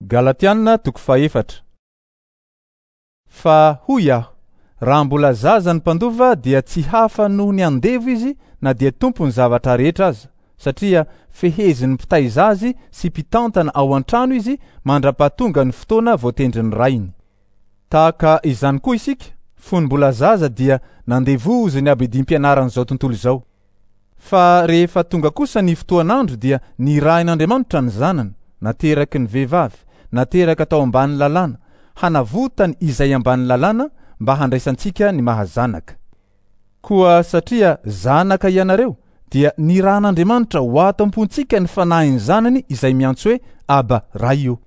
Galatiana toko fahefatra. Fa hoy aho, raha mbola zaza ny mpandova dia tsy hafa noho ny andevo izy na dia tompon'ny zavatra rehetra aza, satria fehezin'ny mpitaiza azy sy mpitantana ao an-trano izy mandra-pahatonga ny fotoana voatendrin'ny rainy. Tahaka izany koa isika, fony mbola zaza dia nandevozin'ny abidim-pianaran'izao tontolo izao. Fa rehefa tonga kosa ny fotoan'andro dia nirahin'Andriamanitra ny Zanany, nateraky ny vehivavy, nateraka tao ambany lalàna, hanavotany izay ambany lalàna mba handraisantsika ny maha zanaka. Koa satria zanaka ianareo, dia nirahin'Andriamanitra ho ato am-pontsika ny Fanahin'ny Zanany izay miantso hoe, Aba, Ray ô.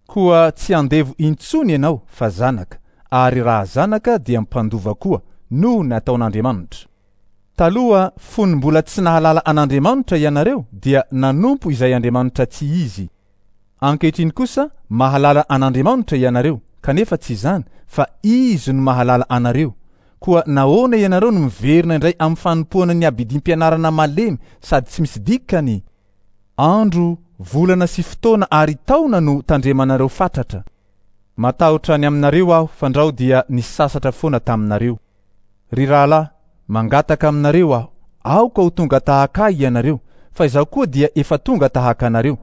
Koa tsy andevo intsony ianao fa zanaka, ary raha zanaka dia mpandova koa, noho ny ataon'Andriamanitra. Taloha, fony mbola tsy nahalala an'Andriamanitra ianareo, dia nanompo izay andriamanitra tsy izy. Ankehitriny kosa mahalala an'Andriamanitra ianareo, kanefa tsy izany, fa Izy no mahalala anareo. Koa nahoana ianareo no miverina indray amin'ny fanompoana ny abidim-pianarana malemy sady tsy misy dikany? Andro, volana sy fotoana ary taona no tandremanareo fatratra. Matahotra ny aminareo aho fandrao dia nisasatra foana taminareo. Ry rahalahy, mangataka aminareo aho, aoka ho tonga tahaka ahy ianareo, fa izaho koa dia efa tonga tahaka anareo.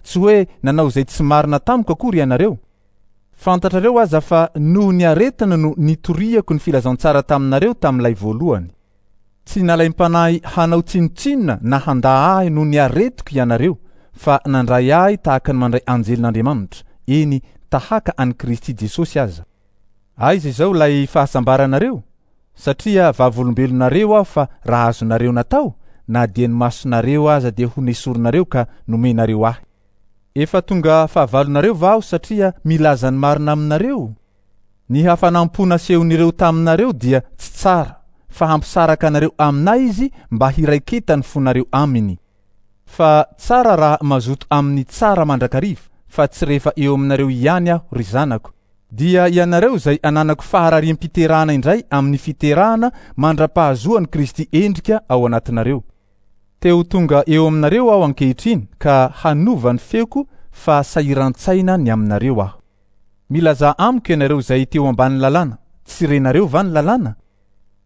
Tsy hoe nanao izay tsy marina tamiko akory ianareo. Fantatrareo aza fa noho ny aretina no nitoriako ny filazantsara taminareo tamin'ilay voalohany. Tsy nalaim-panahy hanao tsinontsinona na handà ahy noho ny aretiko ianareo, fa nandray ahy tahaka ny mandray anjelin'Andriamanitra, eny, tahaka an'i Kristy Jesosy aza. Aiza izao ilay fahasambaranareo? Satria vavolombelonareo aho fa raha azonareo natao, na dia ny masonareo aza dia ho nesorinareo ka nomenareo ahy. Efa tonga fahavalonareo va aho satria milaza ny marina aminareo? Ny hafanam-po nasehon'ireo taminareo dia tsy tsara, fa hampisaraka anareo aminay izy mba hiraiketan'ny fonareo aminy. Fa tsara raha mazoto amin'ny tsara mandrakariva, fa tsy rehefa eo aminareo ihany aho, ry zanako, dia ianareo izay ananako faharariam-piterahana indray amin'ny fiterahana mandra-pahazoan'i Kristy endrika ao anatinareo. Te ho tonga eo aminareo aho ankehitriny ka hanova ny feoko fa sahiran-tsaina ny aminareo aho. Milazà amiko ianareo izay teo ambanin'ny lalàna, tsy renareo va ny lalàna?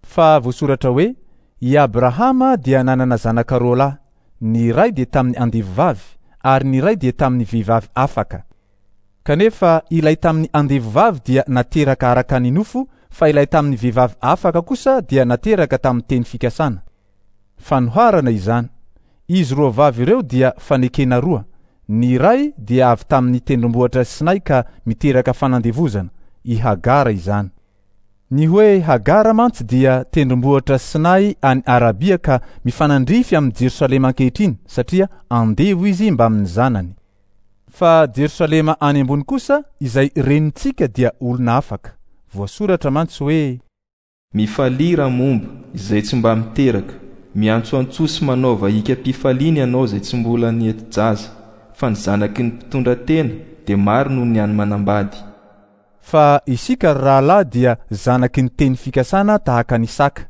Fa voasoratra hoe, I Abrahama dia nanana zanaka roalahy, ny iray dia tamin'ny andevovavy, ary ny iray dia tamin'ny vehivavy afaka. Kanefa ilay tamin'ny andevovavy dia nateraka araka ny nofo, fa ilay tamin'ny vehivavy afaka kosa dia nateraka tamin'ny teny fikasana. Fanoharana izany. Izy roa vavy ireo dia fanekena roa. Ny iray dia avy tamin'ny tendrombohitra Sinay ka miteraka fanandevozana, i Hagara izany. Ny hoe Hagara mantsy dia tendrombohitra Sinay any Arabia ka mifanandrify amin'i Jerosalema ankehitriny satria andevo izy mbamin'ny zanany. Fa Jerosalema any ambony kosa izay renintsika dia olona afaka. Voasoratra mantsy hoe. Mifalia Ramomba, izay tsy mba miteraka, miantsoantsoa sy manaova hikam-pifaliana ianao izay tsy mbola niheti-jaza, fa ny zanaky ny mpitondra tena dia maro noho ny an'ny manambady. Fa isika ry rahalahy dia zanaky ny teny fikasana tahaka an'i Isaka.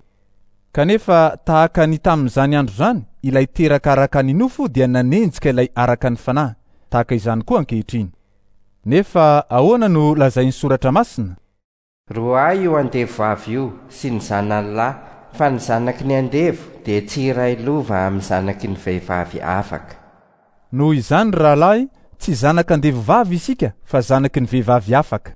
Kanefa tahaka ny tamin'izany andro izany, ilay teraka araka ny nofo dia nanenjika ilay araka ny fanahy, tahaka izany koa ankehitriny. Nefa ahoana no lazain'ny Soratra Masina? Roahy io andevo vavy io sy ny zanany lahy, fa ny zanaky ny andevo dia tsy hiray lova amin'ny zanaky ny vehivavy afaka. Noho izany, ry rahalahy, tsy zanak'andevo vavy isika, fa zanaky ny vehivavy afaka.